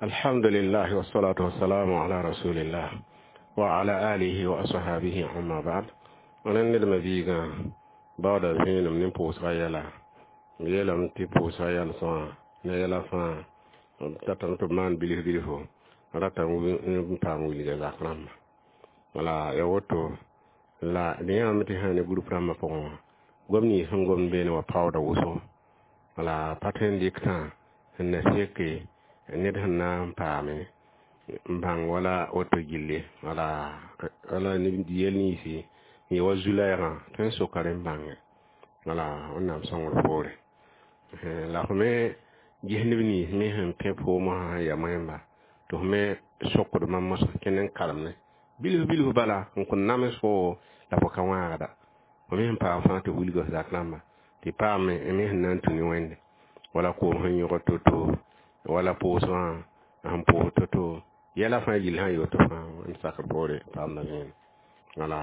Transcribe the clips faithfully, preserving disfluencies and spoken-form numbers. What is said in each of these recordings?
الحمد لله والصلاة والسلام على رسول الله وعلى آله وأصحابه أما بعد أنا ندم بيغا بعد زين من بوسغا يلا يلا متي بوسغا يلا سوا يلا فا تاتان to man bilif bilifo rata n paam wilga zak rãmba wala ya woto la d yãame tɩ sã ne group rãmbã pʋgẽ wã gom nins sẽn gomd beene wã paooda wʋsgo wala pa tõe n dɩk tã sẽn na seke ned sẽn na n paame n bãng wala woto gilli wala wala yel ninsi n yɩ wa zu-lɛɛgã tõe n soka rẽ n bãnge wala Wẽnnaam sõngr poore la f me ges neb nins me sẽn pẽ poomã sã n ya moẽmba tɩ f me sokd mam mosã kẽnd n karemne bilf bilf bala n kõn nams fo la fo ka wãagda fo me sẽn paam fãa tɩ wilga f zak rãmba tɩ paam me sẽn na n tũ ne Wẽnde wala koom sẽn yõgd to-to wala pʋʋsgã sẽn pʋʋs to-to yɛla fãa gill sã n yoto fãa n sakr poore paamda vẽenem wala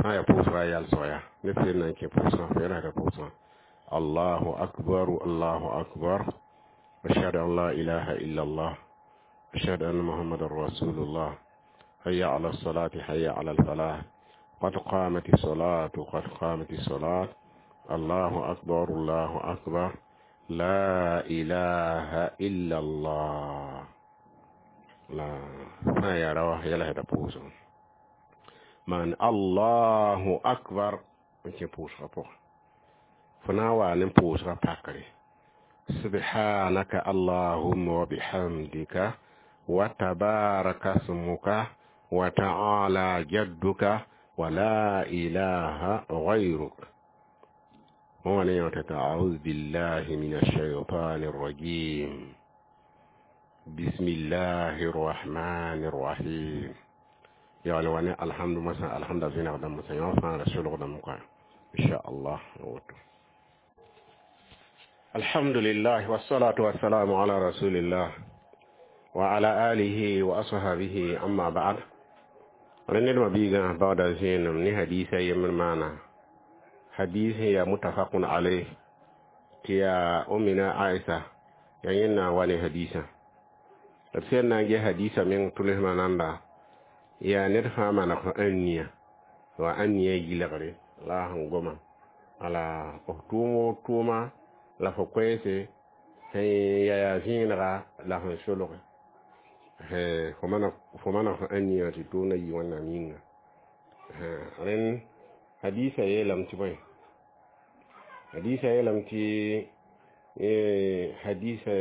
sã n yaa pʋʋsga yalsg yaa ned sẽn na n kẽ pʋʋsgã fo yɛlsda pʋʋsgã الله أكبر الله أكبر أشهد أن لا إله إلا الله أشهد أن محمد رسول الله حي على الصلاة حي على الفلاح قد قامت الصلاة قد قامت الصلاة الله أكبر الله أكبر لا إله إلا الله لا ما يروى يلا هذا بوزو من الله أكبر انت بوز غبو فناوا نم بوز غباكري سبحانك اللهم وبحمدك وتبارك اسمك وتعالى جدك ولا إله غيرك أعوذ بالله من الشيطان الرجيم بسم الله الرحمن الرحيم يعني وانا الحمد مثلا الحمد لله غدا مثلا يوفى رسول غدا إن شاء الله الحمد لله والصلاة والسلام على رسول الله وعلى آله وأصحابه أما بعد رنين مبيغا بعد زين من حديث يمن معنا حديث هي متفق عليه تيا أمنا عائشة ينينا والي حديثة سيدنا جي حديثة من تله مناندا يا نرفع من أنيا وأنيا جلغري لا هنغما على تومو توما la fo koɛɛse sẽn ya yaa zẽenega la sẽn solge fo mana fo ãniyã tɩ tʋʋmda yɩ Wẽnnaam yĩnga rẽnd hadiisa yeelame tɩ bõe hadiisa yeelame tɩ hadiisa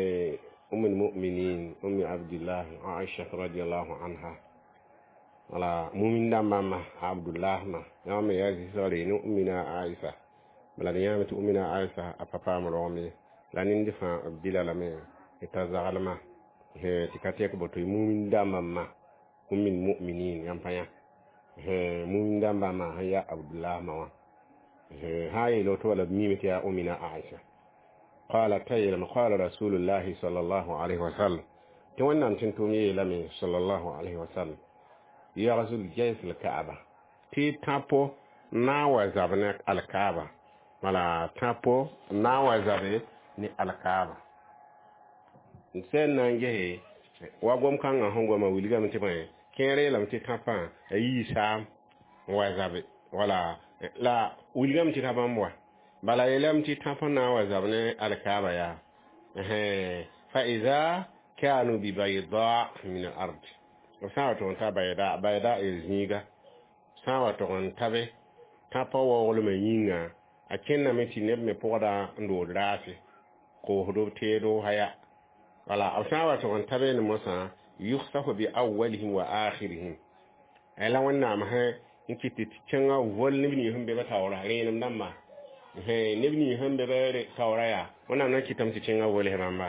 أم المؤمنين أم عبد الله عائشة رضي الله عنها wala mumin dãmbã ma Abdullah ma yã me yaa zɩsgre ne أمنا عائشة bala d yãame tɩ أمنا عائشة a pa paam rogem ye la nend fãa b dɩla lame t'a zaglma tɩ ka tɛk boto mumin dãmbã ma أم المؤمنين yãmb pa yã mumin dãmbã ma sẽn yaa Abdullah ma wã sã n yeel woto wala b miime tɩ yaa أمنا عائشة قال تيلم قال رسول الله صلى الله عليه وسلم tɩ Wẽnnaam tɩ tʋʋm yeelame صلى الله عليه وسلم يغزو الجيش الكعبة tɩ tãpo na n wa zab ne alkaaba wala tãpo na n wa zabe ne alkaaba n sẽn na n gese wa gom-kãngã sẽn goma wilgame tɩ bõe kẽer yeelame tɩ tãpã a yii saam n wa zabe wala la wilgame tɩ ka bãmb wa bala yeelame tɩ tãpã na n wa zab ne alkaaba yaa فإذا كانوا ببيضاء من الأرض b sã n wa tʋg n ta بيضاء بيضاء y zĩiga sã n wa tʋg n tabe tãpã waooglmã yĩnga a kẽndame tɩ neb me pʋgda n dood raase koosdo b teedo haya wala b sã n wa tʋg n tabe ne mosã يخسف بأولهم وآخرهم la Wẽnnaam sã n kɩt tɩ kẽngã vol neb nins sẽn be ba taoora rẽenem dãmba neb nins sẽn be ba taoora yaa Wẽnnaam na n kɩtame tɩ kẽngã vols bãmba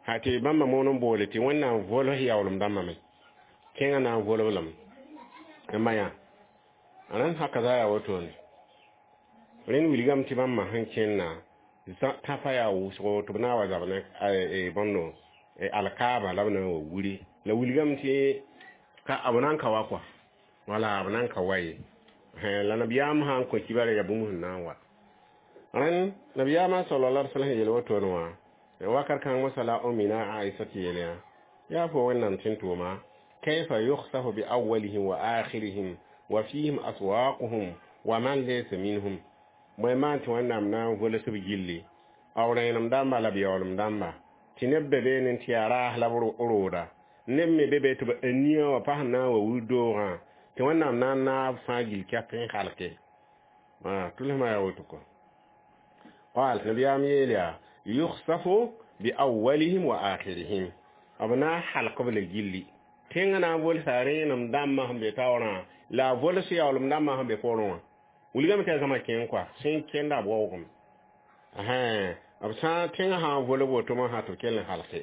ha tɩ bãmba moon n boole tɩ Wẽnnaam vols yaoolem dãmbã me kẽngã na n volb lame n ma yã rẽnd haka za yaa wotone rẽnd wilgame tɩ bãmba sẽn kẽnna tãpã yaa wʋsgo tɩ b na n wa zab ne bõndo alkaaba la b na n wa wuri la wilgame tɩ ka b na n ka wa kɔa wala b na n ka wa ye la nabiyaam sã n kõ kibara yaa bũmb sẽn na n wa rẽnd nabiyaamã صلى الله عليه وسلم yeel wotone wã Wakat kãng mosã la Ummina Aisha tɩ yeel yã yaa fo Wẽnnaam tẽn tʋʋma kayfa yukhsafu bi awwalihim wa akhirihim wa fihim aswaquhum wa man laysa minhum bõe maan tɩ Wẽnnaam na n vols b gilli b rẽenem dãmba la b yaoolem dãmba tɩ neb be beene tɩ yaa raas la b rooda neb me be be tɩ b ania wã pas na n wa wildoogã tɩ Wẽnnaam na n naab fãa gill kɛk n halke tʋlsmã yaa woto kɔ qal nabiyaam yeel yaa yukhsafu bi awwalihim wa akhirihim b na n halk b la gilli tẽngã na n volsa rẽenem dãmbã sẽn be taoorã la a vols yaoolem dãmbã sẽn be poorẽ wã wilgame tɩ a zãma kẽng kɔa sẽn kẽnda b waoogame b sã n tẽngã sã n volg woto mosã tɩ b kell n halke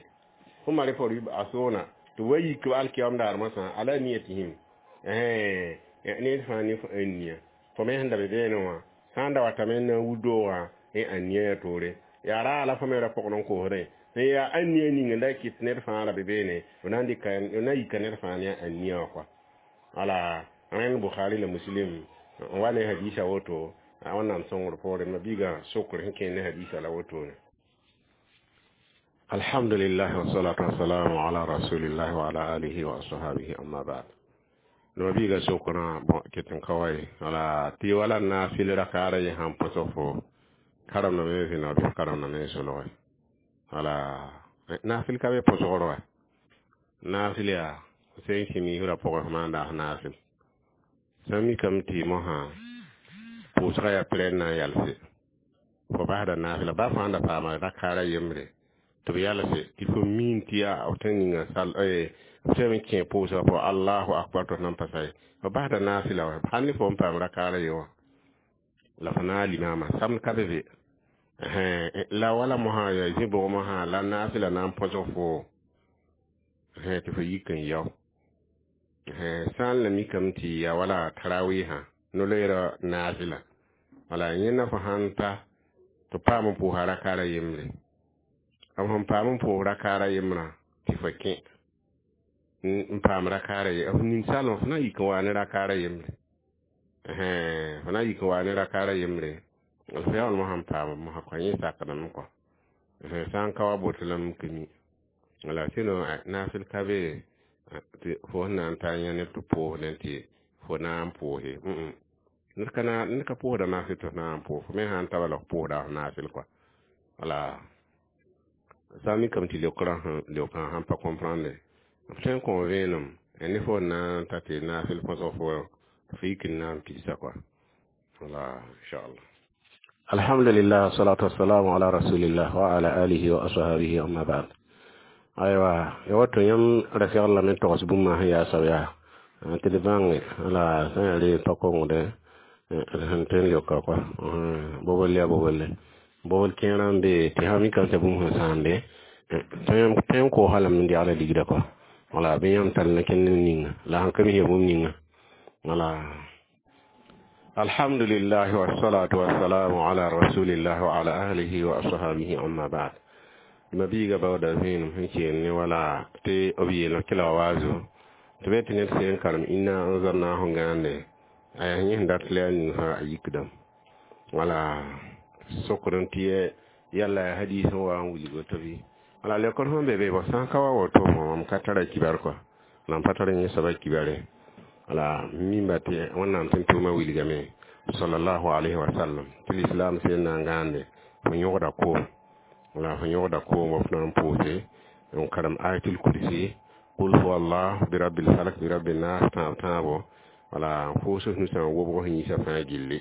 ثم رفعوا يبعثون tɩ wa yik b alkiyam daar mosã ala niyatihim ned fãa ne f ania fo me sẽn da be beene wã sã n da watame n na n wildoogã n ania yaa toore yaa raa la fo me ra pʋgd n koosdẽ n yaa ania ning n da kɩt ned fãa ra be beene b na n dɩka b na yika ned fãa ne a ania wã kɔa wala rẽnd Bukhari la Muslim n wa ne hadisa woto Wẽnnaam sõngr poorẽ ma-biigã sokr sẽn kẽer ne hadisa la wotone. الحمد لله والصلاة والسلام على رسول الله وعلى آله وأصحابه أما بعد no biiga sokra bon ket n ka wa ye wala tɩ wala naafɩl rakaara yẽ sãn põsg fo karemdame vẽneg bɩ f karemdame solge wala naafɩl ka be põsgr wa naafɩl yaa sẽn kẽ miisrã pʋgẽ f maan daas naafɩl sã n mikame tɩ mosã pʋʋsgã yaa pɛrɛn na n yalse fo basda naafɩla ba fãa da paama rakaara yembre tɩ b yalse tɩ fo miin tɩ yaa f tõe n ninga sal f tõe n kẽ pʋʋsgã pʋgã allahu akbar tɩ f nan pa sa ye f basda naafɩla wa hal ne fo n paam rakaara ye wã la fo na n limaamã samd ka be be la wala mosã yaa zĩ bʋg mosã la naafɩla na n põsg fo tɩ fo yik n yao sã n la mikame tɩ yaa wala tarawɩsã no-loeerã naafɩla wala yẽnda fo sãn ta tɩ paam n pʋʋsa rakaara yembre b sẽn paam n pʋʋs rakaara yembrã tɩ fo kẽ n paam rakaara ye f ninsalem fo na n yik n waa ne rakaara yembre fo na n yik n waa ne rakaara yembre f yaool mosã n paam mosã kõ yẽ sakdame kɔ sã n ka wa boto lame ka mi wala sɩno naafɩl ka be tɩ fo sẽn na n ta yã neb tɩ pʋʋsdẽ tɩ fo na n pʋʋse ned ka ned ka pʋʋsda naafɩl tɩ f na n pʋʋs fo me sã n ta bala f pʋʋsda f naafɩl kɔa wala sã n mikame tɩ leokrã leokrã sãn pa comprendre f tõe n kõ vẽenem ne fo na n ta tɩ naafɩl põsg fo f yik n na n pidsa kɔa wala inchallah. Alhamdulillah salatu wassalamu ala rasulillah wa ala alihi wa ashabihi amma ba'd. Aywa ya wato yãmb ra segl lame togs bũmb sẽn yaa soab yaa tɩ d bãnge la sã yaa re pa kongdẽ sẽn tõe n leoka kɔa bobl yaa boble bobl kẽerã n be tɩ sã mikame t'a bũmb sẽn sãambe tõe n koosã lame n degla ligda kɔa wala bɩ yãmb tall na kẽnd ninga la sãn ka mis ya bũmb ninga wala. Alhamdulillah wassalatu wassalamu ala rasulillah wa ala ahlihi wa ashabihi amma ba'd. Ma biiga baooda vẽenem sẽn keel ne wala tɩ b yeel kɩla wa waazo tɩ be tɩ ned sẽn karem inna anzalnahu gãande a yaa yẽ sẽn dat la yaa ning fãa a yikdame wala sokd n tɩ yalla ya hadis n wa n wilg woto bɩ wala lekor sẽn be be bõ sã n ka wa woto mam ka tara kibar kɔa la m pa tar yẽ soaba kibare wala mimba tɩ Wẽnnaam tẽn tʋʋmã wilgame sallallahu alayhi wa sallam tɩ l'islam sẽn na n gãande fo yõgda koom wala fo yõgda koom wa f na n pʋʋse n karem ayatul kursi qul huwa allah bi rabbil falak bi rabbin nas tãab tãabo wala fo f nusã n wobg f yĩsã fãa gilli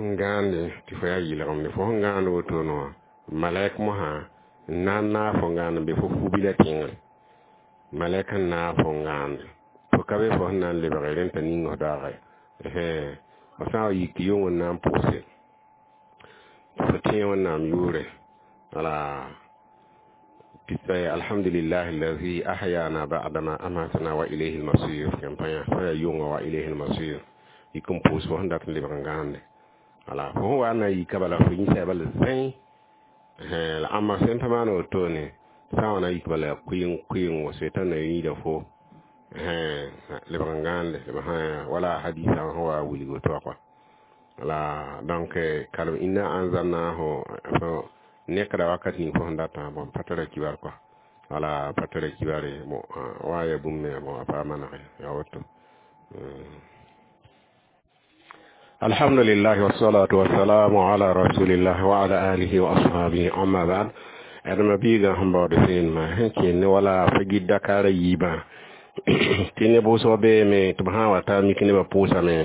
n gãande tɩ fo yaa yɩlgemde fo sẽn gãand wotone wã malɛk mosã n na n naag fo n gãand n be fo fu-bila tẽngre malɛk n naag fo n gãande fo ka be fo sẽn na n lebge rẽnd t'a ning f daagã f sã n wa yik yong n na n pʋʋse fo tẽe Wẽnnaam yʋʋre wala alhamdulillah allazi ahyana ba'dama amatana wa ilayhi almasir yãmb pa yã yʋnga wa ilayhi almasir yik n pʋʋs fo sẽn dat n lebg n gãande wala fo sẽn wa n na n yika bala fo yĩsa bala zẽe la ãmba sẽn pa maan wotone sã n wa na n yik bala kʋɩng kʋɩngo setan na yĩida fo lebg n gãande wala hadisa sẽn wa wilg woto wã kɔa wala donc kalem inna anzalnahu fo Nekda wakat ning fo sẽn datã bõn pa tara kibar kɔa wala pa tara kibare bon wa ya bũmb me bon a pa manege ya woto. Alhamdulillah wassalatu wassalamu ala rasulillah wa ala alihi wa ashabihi amma ba'd. Adama biiga sẽn baood vẽenemã sẽn kẽnd ne wala fo gɩd dakaarã yiibã tɩ neb wʋsg beeme tɩ b sã n wa ta mik nebã pʋʋsame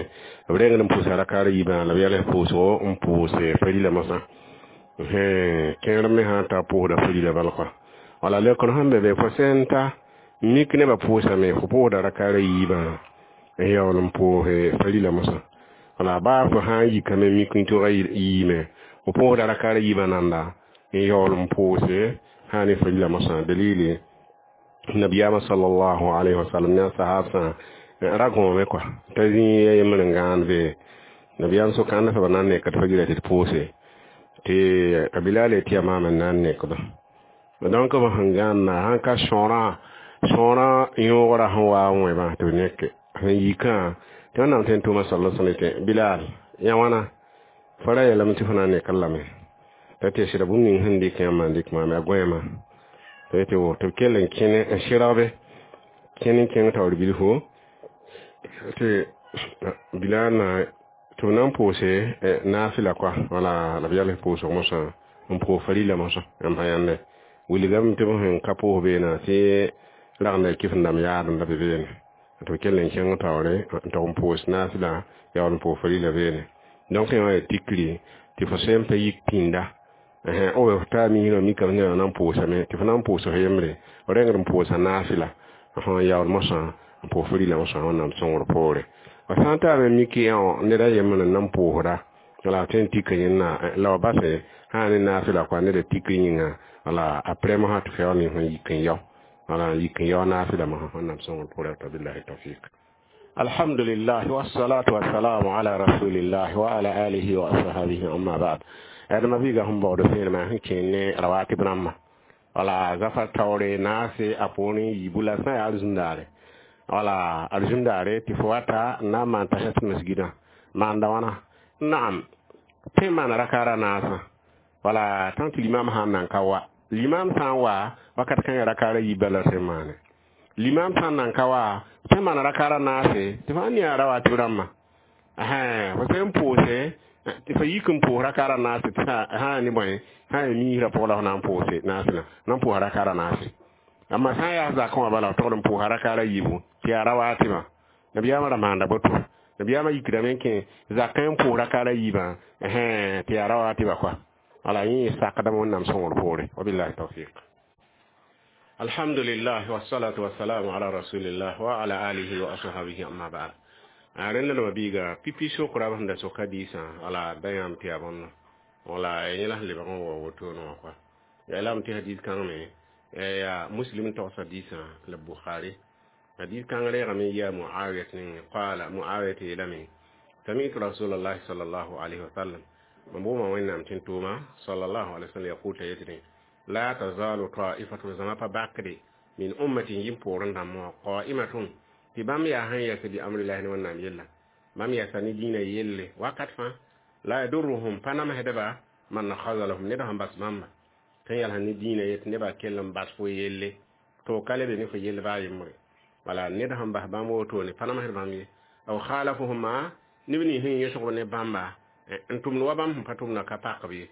b rengd n pʋʋsa rakaarã yiibã la b yɛls pʋʋsgo n pʋʋs farila mosã kẽer me sã n ta pʋʋsda farila bal kɔa wala leokr sẽn be be fo sẽn ta mik nebã pʋʋsame fo pʋʋsda rakaarã yiibã n yaool n pʋʋse farila mosã wala baa fo sã n yikame mik n tʋga yiime fo pʋʋsda rakaarã yiibã nanda n yaool n pʋʋse sã ne farila mosã dalili nabiyama sallallahu alaihi wasallam ne sahab sã ra gõome kɔa t'a zĩ ya yembr n gãand be nabiyam sokãnd soaba na n nekd fa gira tɩ d pʋʋse tɩ a bilal tɩ yaa maam n na n nekdo donc b sẽn gãnna sãn ka sõorã sõorã yõogrã sẽn wa n wẽbã tɩ b neke sẽn yikã tɩ wẽnnaam tõe n tʋʋma sala sallam tɩ bilal yã wãna fo ra yeelame tɩ fo na n nekd lame t'a tɩ sɩda bũmb ning sẽn dɩk yãmb n dɩk maam yaa gõeema tɩ tɩ b kell n kẽne n sɩrgbe kẽn n kẽng taoor bilfu tɩ bilal na tɩ b na n pʋʋse naafɩla kɔa wala la b yals pʋʋsg mosã n pʋʋs farila mosã yãmb pa yãnde wilgame tɩ b sẽn ka pʋʋs beena tɩ ragenda kɩf n dãmb yaadem la be beene tɩ b kell n kẽng taoore n tog n pʋʋs naafɩla yaool n pʋʋs farila beene donc yã wã yaa tikri tɩ fo sẽn pa yik pĩnda o f taa misrã mikame tɩ na n pʋʋsame tɩ fo na n pʋʋs f yembre f rengd n pʋʋsa naafɩla n yaool mosã n pʋʋs farila mosã wẽnnaam sõngr poore f sã n taame mik yã ned a yembr n na n pʋʋsda wala tõe n tika yẽnna la b base sã ne naafɩla kɔa ned a tikr yĩnga wala après mosã tɩ f yaool n yik n yao wala n yik n yao naafɩla mosã wẽnnaam sõngr poore billahi tawfik. Alhamdulillah wassalatu wassalamu ala rasulillah wa ala alihi wa ashabihi amma ba'd. Adama biiga sẽn baood vẽenemã sẽn kẽen ne rawatib rãmbã wala zafa taoore naase a poorẽ yiibu la sã n yaa arzũndaare wala arzũndaare tɩ fo wata n na n maan tahiyat masgidã maanda wãna naam tõe n maana rakaara naasã wala tã tɩ limam sã n nan ka wa limam sã n wa wakat kãngã rakaara yiibã la sẽn maane limam sã n nan ka wa tõe n maana rakaara naase tɩ fãa ne yaa rawatib rãmbã fo sẽn pʋʋse tɩ fa yik n pʋʋs rakaara naase tɩ sã ne bõe sã n miisrã pʋgã la f na n pʋʋse naasẽna na n pʋʋsa rakaara naase amma sã n yaa zakẽ wã bala f togd n pʋʋsa rakaara yiibu tɩ yaa rawatibã nabiyaamã ra maanda boto nabiyaamã yikdame n kẽ zakẽ n pʋʋs rakaara yiibã tɩ yaa rawatibã kɔa wala yẽ sakdame wẽnnaam sõngr poore wabillahi tawfiq. Alhamdulillah wassalatu wassalamu ala rasulillah wa ala alihi wa ashabihi amma ba'd. Rẽnd la biiga pipi sokra sẽn da soka diisã wala da yãmb tɩ yaa bõnna wala yẽ la sẽn lebg n wa wotone wã kɔa yaa lame tɩ hadis kãng me yaa muslim togsa diisã la bukhari hadis kãng reegame yaa muawiyat ning qala muawiyat yeelame sami'tu rasulallah sallallahu alaihi wasallam mam bʋʋma wẽnnaam tɩ n tʋʋma sallallahu alaihi wasallam yaqul t'a yetɩ la tazalu ta'ifatu zama pa bakde min ummati yim poorẽ dãmb wã qa'imatun tɩ bãmb yaa sẽn yɛs bi amrillahi ne wẽnnaam yella bãmb yɛsa ne dĩinã yelle wakat fãa la yadurruhum pa namsdba man khazalahum ned sẽn bas bãmba tõe n yals ne dĩinã yet nebã kell n bas fo yelle to ka lebe ne fo yell baa yembre wala ned sẽn bas bãmb wotone pa namsd bãmb ye aw khalafuhuma neb nins sẽn yõsg ne bãmba n tʋmd wa bãmb sẽn pa tʋmdã ka pakb ye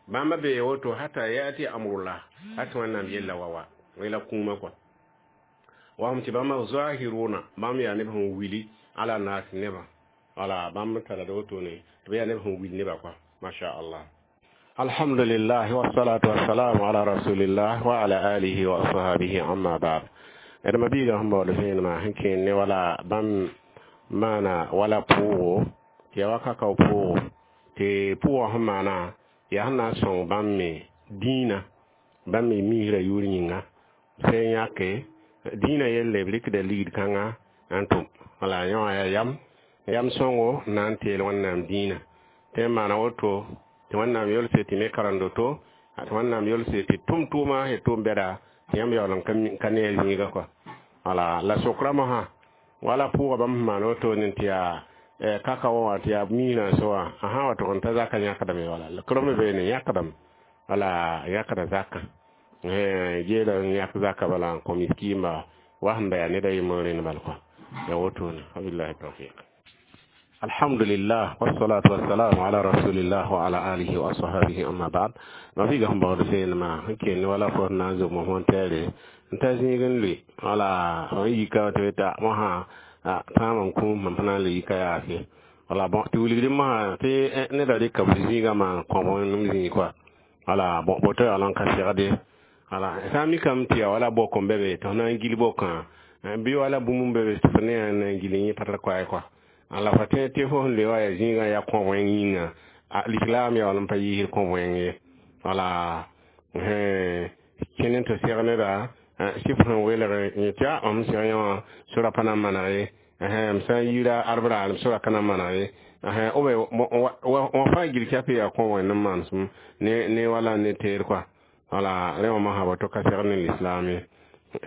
bãmba bee woto hata yati amrullah hat wẽnnaam yella wa wa la kũumã kɔa wahum tɩ bãmba zahiruna bãmb yaa neb sẽn wili ala nas nebã wala bãmb tara da wotone tɩ b yaa neb sẽn wil nebã kɔa masha allah. Alhamdulillah wassalatu wassalamu ala rasulillah wa ala alihi wa ashabihi amma ba'd. Adama biiga sẽn baood vẽenemã sẽn kẽen ne wala bãmb maana wala pʋʋgo tɩ yaa wakakao pʋʋgo tɩ pʋʋgã sẽn maana yaa sẽn na n sõng bãmb me dĩinã bãmb me misrã yʋʋr yĩnga sẽn yãke dĩinã yelle b rɩkda ligd kãnga n tʋm wala yã wã yaa yam yam sõngo n na n teel wẽnnaam dĩinã tɩ n maana woto tɩ wẽnnaam yolse tɩ me karendo to tɩ wẽnnaam yolse tɩ tʋm tʋʋma sẽn tʋm bɛda tɩ yãmb yaool n ka ne a zĩiga kɔa wala la sokra mosã wala pʋʋga bãmb sẽn maan wotone tɩ yaa kaka wã tɩ yaa misrã so wã a sã n wa tʋg n ta zaka yãkdame wala krome beene yãkdame Wala yãkda zakã geela n yãk zaka bala n kõ miskiimba wa sẽn da yaa ned a yembr rẽnd bal kɔa ya wotone. Wabillahi tawfiq. Alhamdulillah, wassalatu wassalamu ala rasulillah wa ala alihi wa ashabihi, amma ba'd. Ma figa sẽn baood vẽenemã sẽn kell wala fo sẽn na n zog mosã n tɛɛre n ta zĩig n lʋɩ wala n yika tɩ t'a mosã tãam n kũum mam pa na n le yika yaase. Wala bon, tɩ wilgd mosã tɩ neda rɩka b zĩigã maan kõb n zĩig kɔa. Wala bon, boto yaool n ka segde. Wala sã n mikame tɩ yaa wala bok n be be tɩ f na n gil bokã bɩ wala bũmb n be be tɩ f ne na n gil yẽ pa tar koɛɛ kɔa. La fa tẽ tɩ fo sẽn le wa yaa zĩigã yaa kõ wẽng yĩnga, l'islam yaool n pa yiisd kõ wẽng ye. Wala kẽnd n tɩ seg neda sɩf sẽn welg yẽ tɩ a m seg yẽ wã sora pa na n maneg ye, m sã n yiira arbra sora ka na n maneg ye. Wã fãa gil kɛp yaa kõ wẽnd n manesem ne wala ne teer kɔa. Wala rẽ wã mosã boto ka segd ne l'islam ye.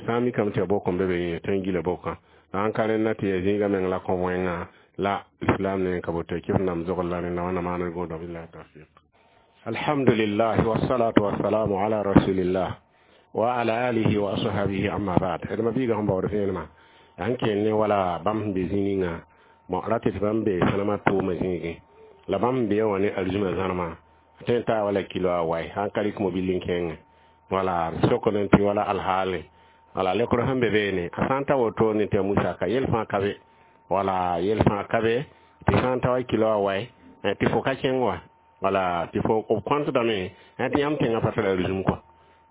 Sã n mikame tɩ ya bok n be be yẽ tɩ n gila bokã la n ka rẽnda tɩ yaa zĩigã meng la kõ wẽngã la l'islam ne ka boto kɩf nam zogl la rẽnda. Wẽnna maanr gõodo. Billahi tawfiq. Alhamdulillah, wassalatu wassalamu ala rasulillah wa ala alihi wa ashabihi, amma ba'd. D ma biiga sẽn baood vẽenemã yaa n kell ne wala bãmb sẽn be zĩ ninga bon ra tɩ tɩ bãmb be sãnemã tʋʋmã zĩigẽ la bãmb sẽn be wã ne arzũmã zãnema tõe n taa wala kilo a wai sã n ka rɩk mobil n kẽngẽ. Wala sokd n tɩ wala alhaale wala lekr sẽn be beene a sã n ta wotone tɩ a musaka yel fãa ka be, wala yel fãa ka be tɩ sã n ta wa kilo a wai tɩ fo ka kẽng wa, wala tɩ fo b kõntdame tɩ yãmb tẽngã pa tar arzũm kɔa,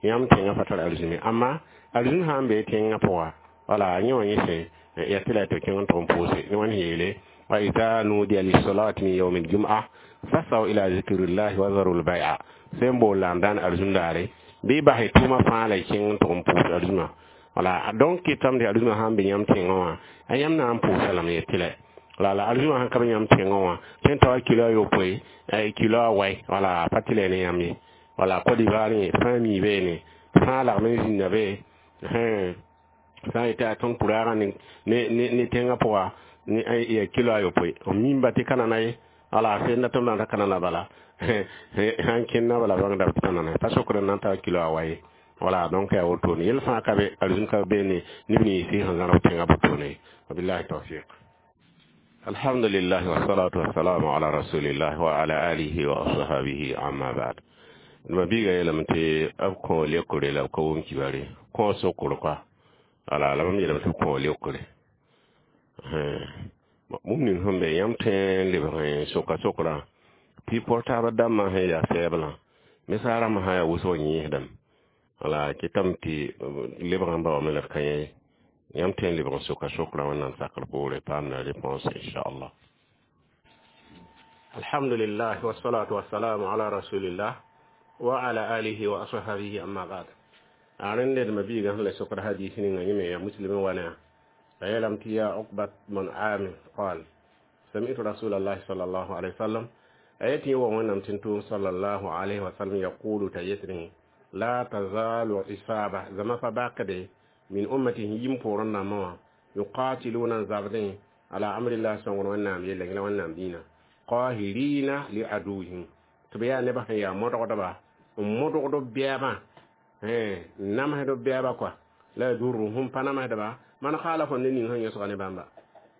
yãmb tẽngã pa tar arzũme. Amma arzũm sã n bee tẽngã pʋga, wala yẽ wã yẽ sẽ ya tɩ la tɩ kẽng n tʋg n pʋʋse ne wãn yeele: wa ida nudiya lisolati min yaumi ljum'a fasaw ila zikrillahi wa zaru lbai'a. Sẽn bool la n dãn arzũm daare bɩ basɩ tʋʋmã fãa la y kẽng n tʋg n pʋʋs arzũmã. Wala donc kɩtame tɩ arzũmã sã n be yãmb tẽngã wã a yãmb na n pʋʋsa lame ye tɩ la la la arzũmã sãn ka be yãmb tẽngã wã tõe n ta wa kilo a yopoe, kilo a wai, wala pa tɩ la ne yãmb ye. Wala Côte d'Ivoire yẽ fãa mi beene fãa lagm n zĩnda be sã n yetɩ a tõnd pʋraagã ne ne tẽngã pʋga ya kilo a yopoe m mimba tɩ ka nana ye. Wala sẽnda tɩ m na n ka nana bala sãn kẽnda bala bãngda tɩ ka nana pa sokd n na n ta kilo a wa ye. Wala donc yaa wotone yel fãa ka be arzũm ka beene neb nins sẽn zãrb tẽngã botone. Wabillahi tawfiq. Alhamdulillah, wassalatu wassalamu ala rasulillah wa ala alihi wa ashabihi, amma ba'd. Ma biiga yeelame tɩ b kõ lekre la b ka wʋm kibare kõ sokr kɔa. Wala la mam yeelame tɩ b kõ lekre bũmb ning sẽn be yãmb tõe n lebg soka sokraã tɩ portaabã dãmbã sẽn yaa sɛɛblã mesaar rãmbã sã yaa wʋsg yẽesdame. Wala kɩtame tɩ lebg n baoome la d ka yẽ yãmb tõe n lebg n soka sokraã wẽnnaam sakr poore paam la réponse inchallah. Alhamdulillah, wassalatu wassalamu ala rasulillah wa ala alihi wa ashabihi, amma ba'd. A rẽnd d ma biigã sẽn la sokd hadis ninga yẽ me yaa muslim n wa ne a yeelame tɩ ya Uqbat man Amir qal sami'tu rasulallah sallallahu alaihi wasallam a yetɩ wa wẽnnaam tɩ n tʋʋm sallallahu alaihi wasallam yaqulu t'a yetɩ la tazalu isaba zama fa bakde min ummatihi yim poorẽ nambã wã yuqatiluna zabdẽ ala amrillah sõngr wẽnnaam yella la wẽnnaam dĩinã qahirina li aduwihim tɩ b yaa nebã sẽn yaa modgdba n modgd b bɛɛbã n namsd b bɛɛba kɔa la yadurruhum pa namsdba man khalafa ne ning sẽn yõsga ne bãmba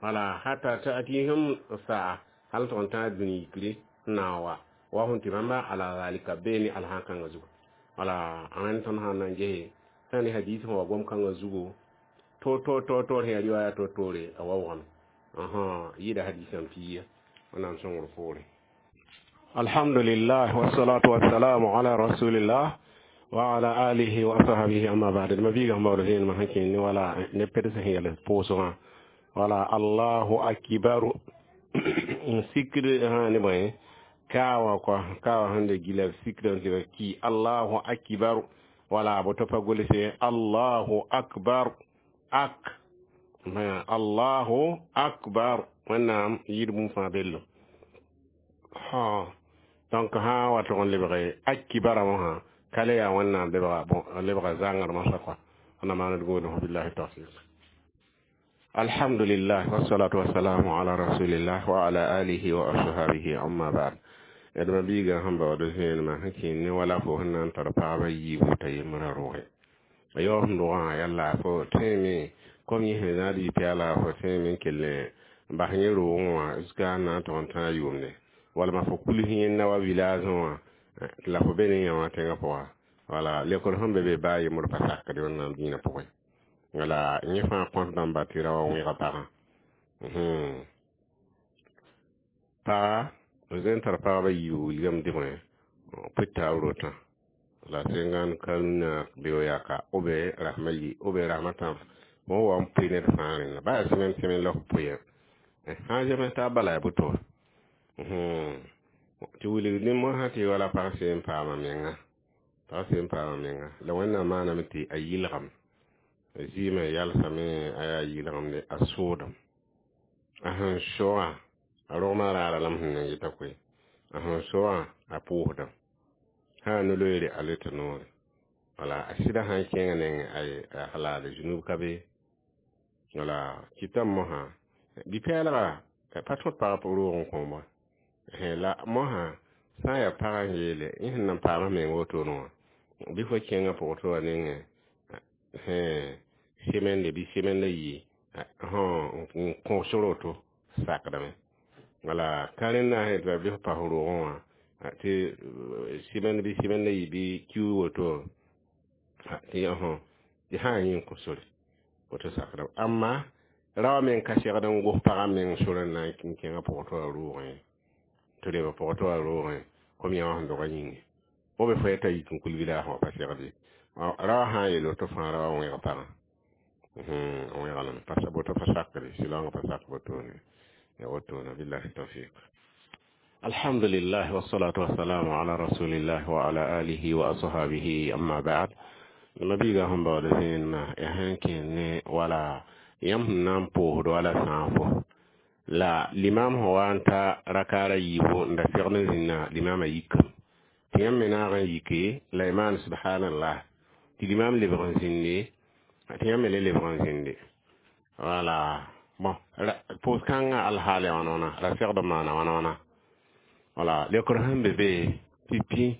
wala hatta ta'tihim sa'a hal tɩg n tãag dũni yikre n na n wa wa sẽn tɩ bãmba ala zalika bee ne alhã-kãngã zugu. Wala rẽnd tõnd sã n na n gese sã ne hadis sẽn wa gom-kãngã zugu to to to to sẽn yaa riwaya to toore a waoogame yɩɩda hadisã n piiya. Wẽnnaam sõngr poore. Alhamdulillah, wassalatu wassalamu ala rasulillah wa ala alihi wa ashabihi, amma ba'd. Ma biiga sẽn baood vẽenemã sẽn kẽnd ne wala ne peds sẽn yɛls pʋʋsgã wala allahu akibaru n sikd ne bõe kaawa kɔa kaawa sẽn de gila sikd n tɩ ki allahu akibaru. Wala boto pa gʋlse allahu akbar ak allahu akbar wẽnnaam yɩɩd bũmb fãa bello ha. Donc sã wa tʋg n lebge akibara wã ka le yaa wẽnnaam lebga bon lebga zãngr masã kɔa wẽnnaam maand gũudum. Billahi tawfiq. Alhamdulillah, wassalatu wassalamu ala rasulillah wa ala alihi wa ashabihi, amma ba'd. D ma-biigã sẽn baood vẽenemã sẽn kẽer ne wala fo sẽn na n tar pagba yiibu t'a yembrã rogẽ a yaoog sẽn rogã yaa laafɩ tẽeme kom yẽ sẽn zãad yɩ-pɛɛla fo tẽeme n kell n bas yẽ roogẽ wã jusqu'à n na n tog n tãa yʋʋmde walma fo kuls yẽnda wa village wã la fo be ne yã wã tẽngã pʋga wala lekr sẽn be be baa yembr pa sakd Wẽnnaam dĩinã pʋgẽ wala yẽ fãa kõt dãmba tɩ ra wa wẽga pagã paga b tar pagba yiibu wilgame dɩbẽ pʋta b rotã la sẽngan ka rũnna beo yaka ou bien rasmã yi ou bien rasmã tãb fõ wa n pʋɩ ned fãa rẽnda baa yaa semaine semaine la fo pʋɩ sã n zems taab bala yaa boto tɩ wilg ne mosã tɩ wala pag seen paama menga pag seen paama menga la Wẽnnaam maaname tɩ a yɩlgem zɩɩmã yalsame a yaa yɩlgemde a soodem a sẽn soa a rogmã raara lame sẽn na n yɩta koe a sẽn soa a pʋʋsdame sã n no-loeere a le tɩ noore wala a sɩda sã n kẽngã neng a halaade zunub ka be wala kɩtame mosã bi-pɛɛlga pa tõd pag roog n kõom wa la mosã sã n yaa pagã n yeele yẽ sẽn na n paama meng wotone wã bɩ fo kẽngã pʋgtɩ wã nengẽ semaine bɩ semaine la yii n kõs roto sakdame wala ka rẽnda sẽn tɩ bɩ f pas roogẽ wã tɩ semaine bɩ semaine la yii bɩ kiu woto tɩ tɩ sã n yẽ n kõ sore woto sakdame amma ra wã meng ka segd n gos pagã meng sor n na n kẽngã pʋgtɩ wã roogẽ tɩ reb pʋgtɩ wã roogẽ kom yã wã sẽn dogã yĩnge b fo t'a yik n kul village wã pa segd ye ra wã sã n yeel woto fãa ra wã wẽg pagã wẽga lame woto pa sakre sɩlaoongã pa sak wotone ya wotone billahi tawfiq alhamdulillah wassalatu wassalamu ala rasulillah wa ala alihi wa ashabihi amma ba'd ma-biigã sẽn baood vẽenemã ya sẽn kẽer ne wala yãmb sẽn na n pʋʋsd wala sãafo la limam sẽn wa n ta rakaara yiibu n da segd n zĩnna limamã yikame tɩ yãmb me naag n yike la y maan subhanallah tɩ limam lebg n zĩnde tɩ yãmb me le lebg n zĩnde wala bon pʋʋs-kãngã alhaal ya wãna wãna ra segd n maana wãna wãna wala lekr sẽn be be pipi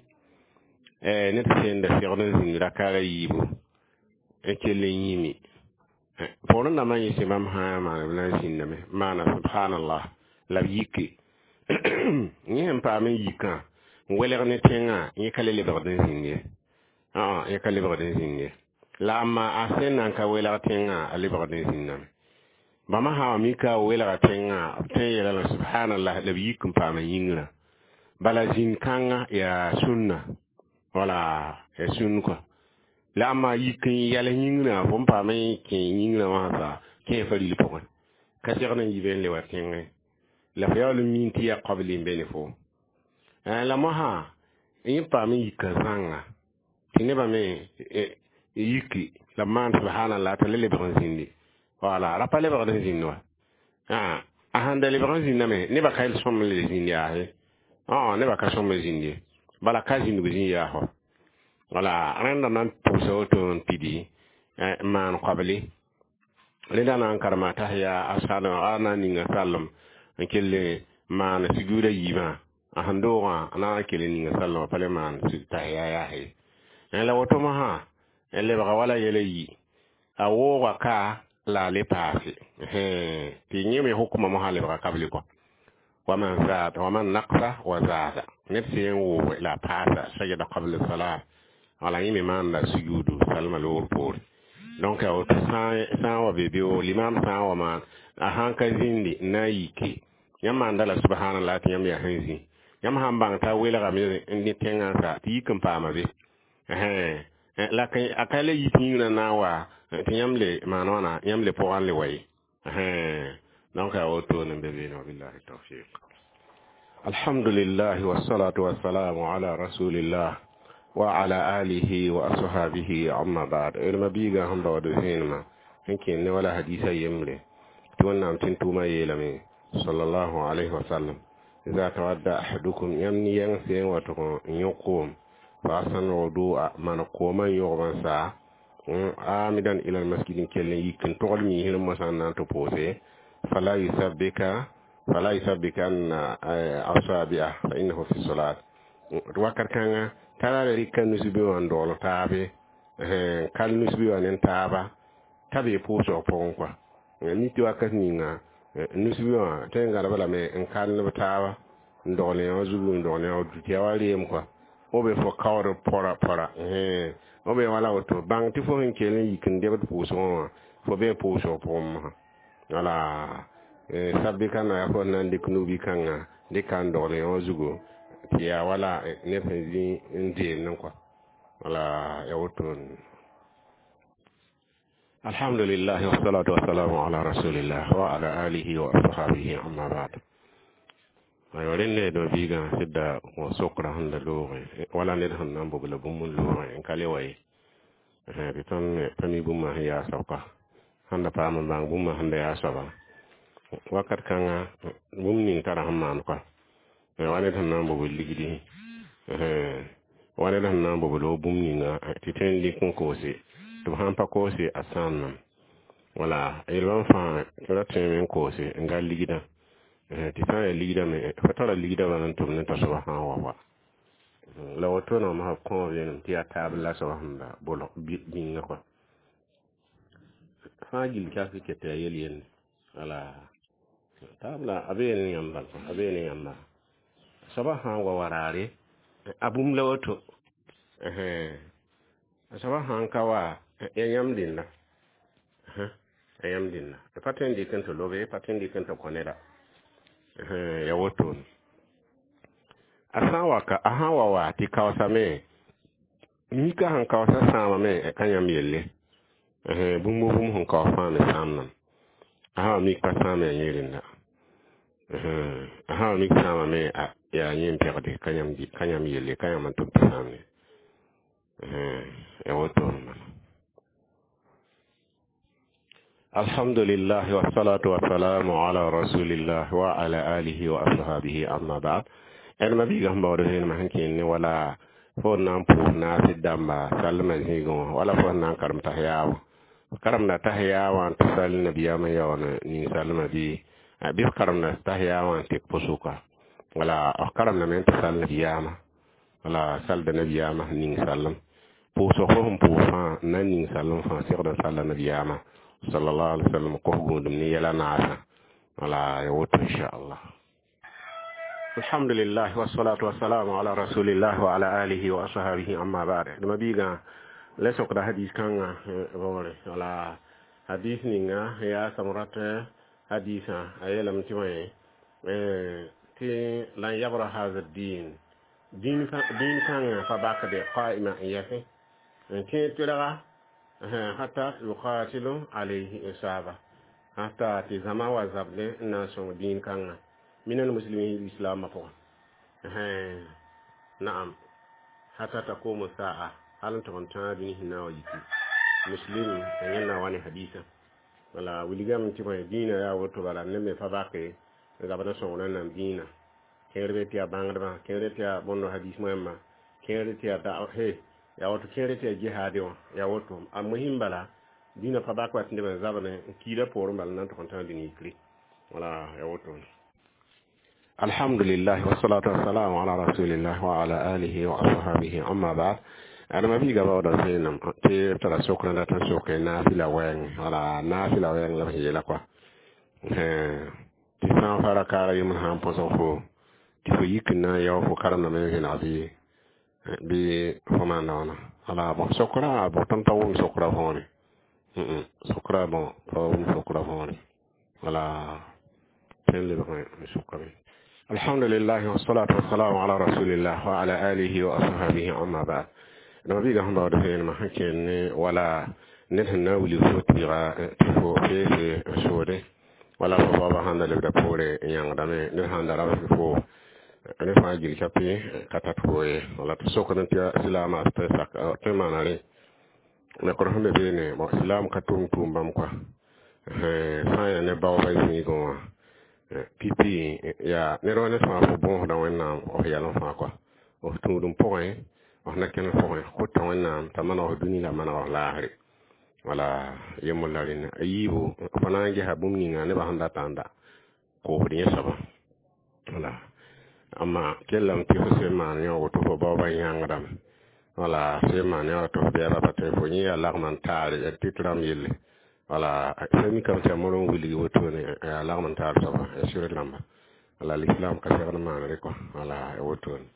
ned sẽn da segd n zĩnd rakaara yiibu n kell n yĩmi poorẽ dãmbã yẽse bãmb sã n maan b na n zĩndame maana subhanallah la b yike yẽ sẽn paam n yikã n welg ne tẽngã yẽ ka le lebgd n zĩnd ye yẽ ka lebgd n zĩnd ye la amma a sẽn na n ka welg tẽngã a lebgd n zĩndame bãmba sã wa mika welga tẽngã b tõe n yeelame subhanallah la b yik n paam n yĩngrã bala zĩnd-kãngã yaa sũnna wala yaa sũnn kɔa la amma yik n yɛls yĩngrã fo n paam n kẽ yĩngrã wã sa kẽ fa ril pʋgẽ ka segd n yi be n le wa tẽngẽ la fo yaool n miin tɩ yaa qabli n be ne fo la mosã yẽ paam n yika zãnga tɩ nebã me yiki la b maan subhanallah t'a le lebg n zĩndi wala ra pa lebgd n zĩnd wa a sãn da lebg n zĩndame nebã ka sõm n le zĩnd yaase nebã ka sõm n zĩnd ye bala ka zĩndg zĩ yaasɔ wala rẽnda na n pʋgsa woto n pidi n maan qabli rẽnda na n karema t'a yaa a na n ninga sallem n kell maan sujuuda yiibã a sẽn doogã a na n kell n ninga sallem pa le maan tahiya yaase la woto mosã n lebga wala yɛla yi a wooga ka la a le paase tɩ yẽ me hukmã mosã lebga kabli kɔ waman zaada waman naqsa wa zaada ned sẽn woog la a paasa sajada qabla salam wala yẽ me maanda sujuudu salma loor poore donc a woto sã n wa be beoog limam sã n wa maan a sãn ka zĩndi n na n yike yãmb maanda la subhanallah tɩ yãmb yaa sẽn zĩ yãmb sãn bãng t'a welgame ne tẽngã sa tɩ yik n paama be la a ka le yik yĩngrã na n wa tɩ yãmb le maan wãna yãmb le pʋgã n le wa ye donc a wotone n be beene wabillahi tawfiq alhamdulillah wassalatu wassalamu ala rasulillah wa ala alihi wa ashabihi amma ba'd d ma-biigã sẽn baood vẽenemã sẽn kẽer ne wala hadisa yembre tɩ Wẽnnaam tɩ n tʋʋmã yeelame sallallahu alayhi wa sallam iza tawadda ahadukum yãmb ne yɛng sẽn wa tʋg n yõ koom fa ahsana wudu'a maan koomã n yõgb n saa amidan ila almasjid n kell n yik n togl miisr mosã n na n tɩ pʋʋse fala yusabbika Fala yusabbikanna asabi'a fa innahu fi salat. Wakat kãnga t'a ra rɩka nusbi wã n dogl taabe, kal nusbi wã ne taaba t'a be pʋʋsg pʋgẽ kɔa. Mi tɩ wakat ninga nusbi wã tõe n gãdb lame n kal b taaba n dogl yã zugu n dogl yã tɩ yaa wa reem kɔa. Fo be fo kaood pɔra pɔra, fo be wala woto bãng tɩ fo sẽn kell n yik n debd pʋʋsgẽ wã fo bee pʋʋsg pʋgẽ mosã. Wala sabbikãna yaa fo sẽn na n dɩk nubi kãngã dɩka n dogl yã zugu tɩ yaa wala ned sẽn zĩ n deemdẽ kɔa. Wala ya woto. Alhamdulillah, wassalatu wassalamu ala rasulillah wa ala alihi wa ashabihi, amma ba'd. Aywa, rẽnd do biigã sɩdda sokra sẽn da loogẽ wala ned sẽn na n bobla bũmb n loogẽ n ka le wa ye tɩ tõnd pa mi bũmba sẽn yaa soab kɔa. Sãn da paam n bãng bũmba sẽn da yaa soaba wakat kãnga, bũmb ning tara sẽn maan kɔa, wa ned sẽn na n bobl ligdi, wa ned sẽn na n bobl bũmb ninga tɩ tõe n lik n koose, tɩ b sãn pa koose a sãamame. Wala yelbãmb fãa ra tõeme n koose n gal ligdã tɩ sã n yaa ligdã me fo tara ligdã bala n tʋm ne t'a soaba sã n wa wa la woto no ma kõo vẽenem tɩ yaa taab la soaba sẽn da bolg bĩnga kɔa fãa gill ka ket tɩ yaa yel yende. Wala taab la a bee ne yãmb bal, a bee ne yãmba soaba sã n wa wa raare a bũmb la woto, a soaba sã n ka wa ya yãmb dẽnda, ya yãmb dẽnda pa tõe n dɩk n tɩ lobe, pa tõe n dɩk n tɩ kõ neda ya woto. A sã n wa ka, a sã n wa wa tɩ kaoosame, mika sẽn kaoosa sãamame ka yãmb yelle. Bũmb bũmb sẽn kaoos fãa me sãamdame. A sã wa mik pa sãam, yaa yẽ rẽnda. A sã wa mik sãamame, yaa yẽ n pegde, ka yãmb ka yãmb yelle, ka yãmb n tʋm tɩ sãamne ya woto n bala. Alhamdulillah, wassalatu wassalamu ala rasulillah wa ala alihi wa ashabihi, amma ba'd. D ma biigã sẽn baood vẽenemã sẽn kẽnd ne wala fo n na n pʋʋs naasd dãmba sallmã zĩigẽ wã, wala fo sẽn na n karem tas-yaab karemda tas-yaab wã n tɩ sall nabiyaamã yaool ning sallmã bɩ bɩ f karemda tas-yaab wã n tek pʋsʋka, wala f karemdame n tɩ sall nabiyaamã, wala salda nabiyaamã sẽn ning sallem pʋʋsg fo sẽn pʋʋs fãa n na n ning sallem fãa segd n salla nabiyaamã sallallahu alaihi wasallam kos gũudum ne yɛla naasã. Wala ya woto, inchallah. Alhamdulillah, wassalatu wassalamu ala rasulillah wa ala alihi wa ashabihi, amma ba'd. D ma biigã la sokda hadis kãngã roore. Wala hadis ninga yaa samrat hadisã, a yeelame tɩ wã tɩ lan yabra haza din dĩn kãngã pa bakde qaima n yɛsẽ n kẽ tɩrga hata yuqatilu alayhi isaba, hata tɩ zãma wa zabdẽ n na n sõng dĩin kãngã min almuslimin islamã pʋgẽ, naam, hata taqumu saa, hal n tʋg n tãag dũni sẽn na n wa yiki muslim a yẽnda wa ne hadisã. Wala wilgame tɩ bõe dĩinã yaa woto bala ned me pa bake zabd n sõng rẽnnaam dĩinã. Kẽer be tɩ yaa bãngdbã, kẽer tɩ yaa bõndo hadis moẽmba, kẽer tɩ yaa da he yaa woto, kẽer tɩ yaa jihaade wã yaa woto. A mohin bala dĩinã pa bak wa tɩ neb n zabdẽ n kiida poorẽ bala n na n tʋg n tãag dũni yikre. Wala yaa woto. Alhamdulillah, wassalatu wassalamu ala rasulillah wa ala alihi wa ashabihi, amma ba'd. Adama biiga baooda vẽenem tɩ b tara sokr n dat n soke naafɩla wɛɛngẽ. Wala naafɩla wɛɛng la b sẽn yeela kɔa tɩ sã n fa rakaara yembr sã n põsg fo tɩ fo yik n na n yao fo karemdame n vẽneg bɩ bɩ fo maanda wãna. Wala bõ sokra bõ tõnd pa wʋm sokra võore, sokra bõ pa wʋm sokra võore. Wala tõe n lebg n sokame. Alhamdulillah, wassalatu wassalamu ala rasulillah wa ala alihi wa ashabihi, amma ba'd. Dama biiga sẽn baood vẽenemã sẽn kẽnd ne wala ned sẽn na n wilg fo tɩɩga tɩ fo feese n soode, wala fo baoobã sãn da lebda poore n yãngdame, ned sãn da rabs fo ne fãa gil kape ka tat fo ye. Wala tɩ sokd tɩ silaamã tɩ sak tõe n maana rẽ nekr sẽn be beene. Bon, silaam ka tʋm tʋʋm bãmb kɔa sã n yaa ne baoobã zĩigẽ wã pipi yaa ned wa ned fãa fo bõosda Wẽnnaam f yɛlem fãa kɔa f tũudum pʋgẽ, f na kẽnd pʋgẽ kota Wẽnnaam t'a maneg f dũni la maneg f laasre. Wala yembr la rẽnda a yiibu fo na n gesa bũmb ninga nebã sẽn data n da Koosd yẽ soaba. Wala amma kellame tɩ fo sẽn maan yã woto fo baoobã yãngdame. Wala sẽn maan yã tɩ f bɛɛba pa tõe fo yẽ yaa lagm n taare yaa tɩ rãmb yelle. Wala sẽn mikame tɩ yaa morg n wilg wotone, yaa lagm n taar soaba, yaa sɩd rãmba. Wala l'islam ka segd maanre kɔ. Wala ya wotone.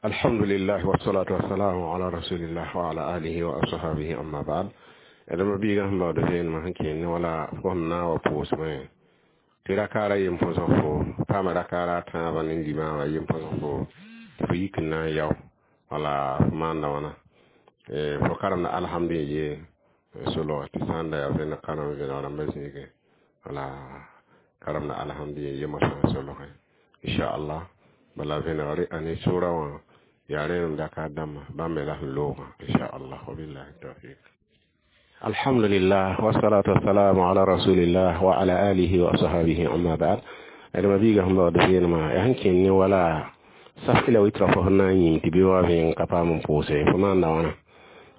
Alhamdulillah, wassalatu wassalamu ala rasulillah wa ala alihi wa ashabihi, amma ba'd. Adama biiga sẽn baood vẽenemã sẽn kẽene, wala fo sẽn na n wa pʋʋsmẽ tɩ rakaara yem põsg fo paama rakaara a tãabã ne limã wã yem põsg fo tɩ fo yik n na n yao. Wala fo maanda wãna, fo karemda alhamdu ye solga tɩ sã n da yaa vẽneg karem vẽneg rãmbã zĩigẽ. Wala karemda alhamdu ye yemã sã n solgẽ, inchallah. Bala vẽnegre a ne sora wã yaa rẽenem dakar dãmbã bãmb me la sẽn loogã, inchallah. Wabillahi tawfiq. Alhamdulillah, wassalatu wassalamu ala rasulillah wa ala alihi wa ashabihi, amma ba'd. Adama biiga sẽn baood vẽenemã yaa sẽn kẽnd ne wala saf la witra fo sẽn na n yĩng tɩ bɩ wa vẽeng ka paam n pʋʋse, fo maanda wãna?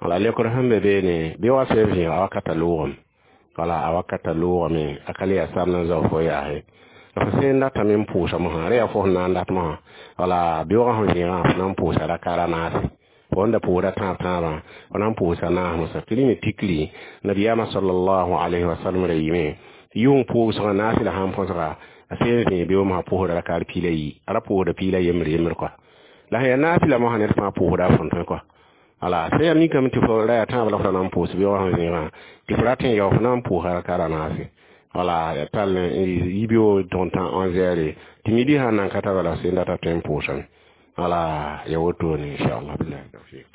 Wala lekr sẽn be beene, bɩ wa sẽn vẽeg a wakata loogame. Wala a wakata loogame, a ka le yaa samd n zao fo yaase la fo sẽn datame n pʋʋsa mosã, rẽ yaa fo sẽn na n dat mosã. Wala beoogã sẽn vẽegã, fo na n pʋʋsa rakara naase. Fo sẽn da pʋʋsda tãab tãabã, fo na n pʋʋsa naas mosã tɩ rẽ me tikri nabiyaamã sallallahu alayhi wa sallam ra yɩme tɩ yʋng pʋʋsgã naas la sãn põsga, a sẽn vẽeg beoog mosã pʋʋsda rakar piila yi, a ra pʋʋsda piila yembr yembr kɔa. La sẽn yaa naas la mosã ned fãa pʋʋsda a fõn tõe kɔa. Wala sẽn yaa mikame tɩ fo ra yaa tãab la fo ra na n pʋʋs beoogã sẽn vẽegã tɩ fo rat n yao, fo na n pʋʋsa rakara naase. Wala ya tall yi beoog tõg tã onze heures tɩ midi sãn nan ka ta, bala sẽn data tõe n pʋʋsame. Wala ya wotone, inchallah. Billahi tawfiq.